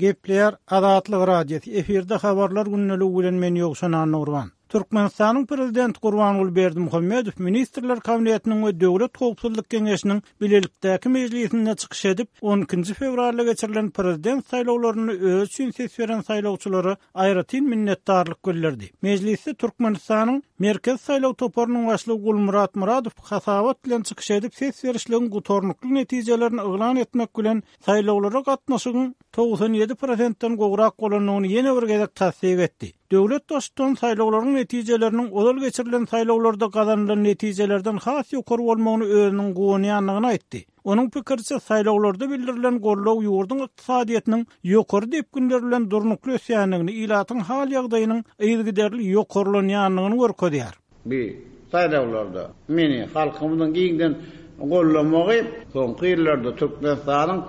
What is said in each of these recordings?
Gepleýär Azatlyk Radiosy, efirde Habarlar gündeligi bilen men Ýowşan Annagurban. Türkmenistanyň Prezidenti Gurbanguly Berdimuhamedow Ministrler Kabinetiniň we Döwlet howpsuzlyk geňeşiniň bilelikdäki mejlisinde çykyş edip, on ikinji fewralda geçirilen Prezident saýlawlarynda özi üçin ses beren saýlawçylara aýratyn minnetdarlyk bildirdi. Mejlisde Türkmenistanyň Merkezi saýlaw toparynyň başlygy Gulmyrat Myradow hasabat bilen çykyş edip, ses berişligiň gutarnykly netijelerini yglan etmek bilen, saýlawlara gatnaşygyň 97 prosentden gowrak bolandygyny ýene bir gezek tassyk etdi. Döwlet Baştutany saýlawlaryň netijeleriniň ozal geçirilen saýlawlarda gazanylan netijelerden has ýokary bolmagyny özüniň guwanýandygyny aýtdy. Onuň pikiriçe, saýlawlarda bildirilen goldaw ýurduň ykdysadyýetiniň ýokary depginler bilen durnukly ösýändigini, ilatyň hal-ýagdaýynyň yzygiderli ýokarlanýandygyny görkezýär. Bu saýlawlarda meni halkymyzyň giňden goldamagy soňky ýyllarda Türkmenistanyň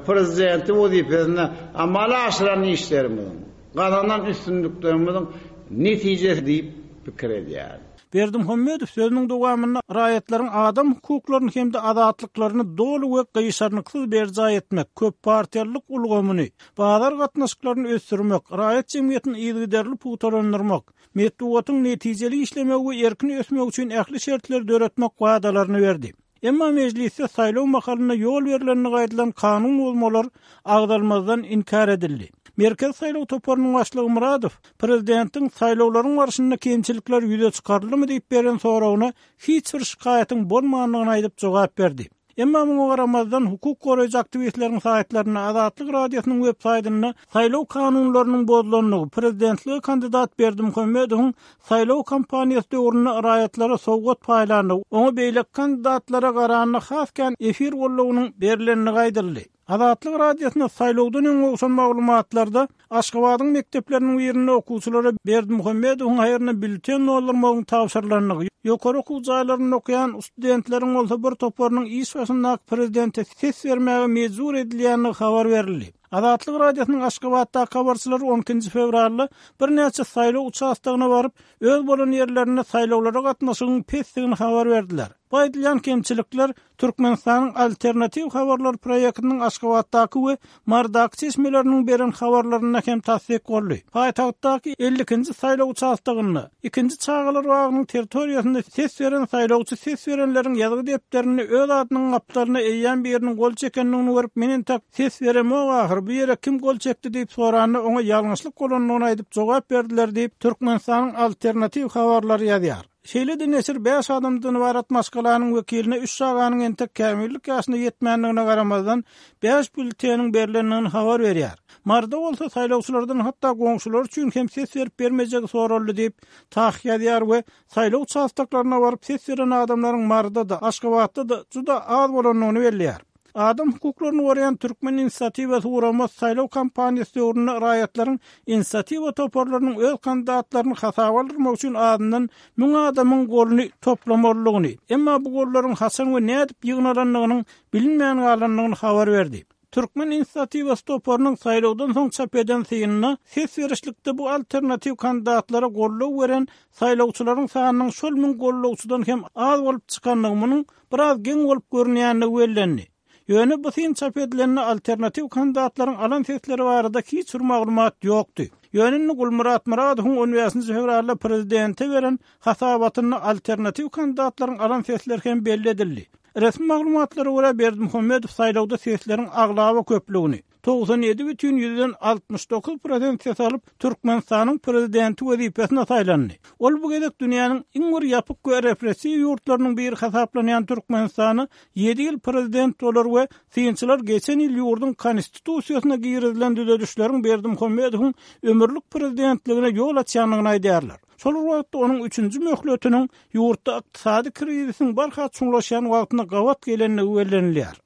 Prezidenti wezipesinde amala aşyran işlerimiziň, gazanan üstünliklerimiziň netijesi diýip pikir edýärin. Berdimuhamedow sözüniň dowamynda raýatlaryň adam hukuklaryny hem-de azatlyklaryny doly we gyşarnyksyz berjaý etmek, köppartiýalylyk ulgamyny, bazar gatnaşyklaryny ösdürmek, raýat jemgyýetini yzygiderli pugtalandyrmak, metbugatyň netijeli işlemegi we erkin ösmegi üçin ähli şertleri döretmek wadalaryny berdi. Emma mejlisde saýlaw mahalynda ýol berlendigi aýdylan kanun bozmalar agzalmazdan inkär edildi. Merkezi saýlaw toparynyň başlygy Myradow prezidentiň saýlawlaryň barşynda kemçilikler ýüze çykaryldymy diýip beren soragyna hiç bir şikaýatyň bolmandygyny aýdyp jogap berdi. Emma muňa garamazdan, hukuk goraýjy aktiwistleriň saýtlarynda, Azatlyk Radiosynyň web saýtynda saýlaw kanunlarynyň bozulandygy, prezidentlige kandidat Berdimuhamedowyň saýlaw kampaniýasy döwründe raýatlara sowgat paýlandygy, oňa beýleki kandidatlara garanda has kän efir goldawynyň berlendigi aýdyldy. Azatlyk Radiosyna saýlawdan öň gowşan maglumatlarda Aşgabadyň mekdepleriniň birinde okuwçylara Berdimuhamedowyň haýryna býulleten doldurmagyň tabşyrylandygy, ýokary okuw jaýlarynda okaýan studentleriň bolsa bir toparynyň iş başyndaky prezidente ses bermäge mejbur edilýändigi habar berildi. Azatlyk Radiosynyň Aşgabatdaky habarçylary on ikinji fewralda birnäçe saýlaw uçastogyna baryp, öz bolan ýerlerinde saýlawlara gatnaşygyň pesdigini habar berdiler. Bu aýdylýan kemçilikler Türkmenistanyň Alternatiw habarlar proýektiniň Aşgabatdaky we Marydaky çeşmeleriniň beren habarlarynda hem tassyk boldy. Paýtagtdaky 52-nji saýlaw uçastogynda, ikinji çagalar bagynyň territoriýasynda ses beren saýlawçy ses berenleriň ýazgy depderinde öz adynyň gapdalyna eýýäm biriniň gol çekendigini görüp, men entek ses beremok ahyr, bu ýere kim gol çekdi diýip soranda, oňa ýalňyşlyk bolandygyny aýdyp jogap berdiler diýip, Türkmenistanyň Alternatiw habarlary ýazýar. Şeýle-de neşir bäş adamdan ybarat maşgalanyň wekiline üç çaganyň entek kämillik ýaşyna ýetmändigine garamazdan, bäş býulleteniň berlendigini habar berýär. Maryda bolsa saýlawçylardan hatda goňşulary üçin hem ses berip bermejegi soraldy diýip, TAHH ýazýar we saýlaw uçastoklaryna baryp ses beren adamlaryň Maryda-da, Aşgabatda-da juda az bolandygyny belleýär. Adam hukuklaryny goraýan Türkmen inisiatiwasy guramasy saýlaw kampaniýasy döwründe raýatlaryň inisiatiwa toparlarynyň öz kandidatlaryny hasaba aldyrmak üçin azyndan müň adamyň goluny toplamalydygyny, emma bu gollaryň haçan we nädip ýygnalandygynyň bilinmän galandygyny habar berdi. Türkmen inisiatiwasy toparynyň saýlawdan soň çap eden synynda ses berişlikde bu alternatiw kandidatlara goldaw beren saýlawçylaryň sanynyň şol müň goldawçydan hem az bolup çykandygy munuň biraz geň bolup görünýändigi bellendi. Ýöne bu syn çap edilende alternatiw kandidatlaryň alan sesleri barada hiç bir maglumat ýokdy. Ýöne indi Gulmyrat Myradowyň on bäşinji fewralda prezidente beren hasabatynda alternatiw kandidatlaryň alan sesleri hem belli edildi. Resmi maglumatlara görä, Berdimuhamedow saýlawda sesleriň aglaba köplügini, 97 bütin ýüzden 69 prosent ses alyp, Türkmenistanyň Prezidenti wezipesine saýlandy. Ol bu gezek dünýäniň iň bir ýapyk we repressiw ýurtlarynyň biri hasaplanýan Türkmenistana ýedi ýyl prezident bolar we synçylar geçen ýyl ýurduň Konstitusiýasyna girizilen düzedişleriň Berdimuhamedowyň ömürlik prezidentligine ýol açýandygyny aýdýarlar. Şol bir wagtda onuň üçünji möhletiniň ýurtda ykdysady krizisiň barha çuňlaşýan wagtyna gabat gelendigi bellenilýär.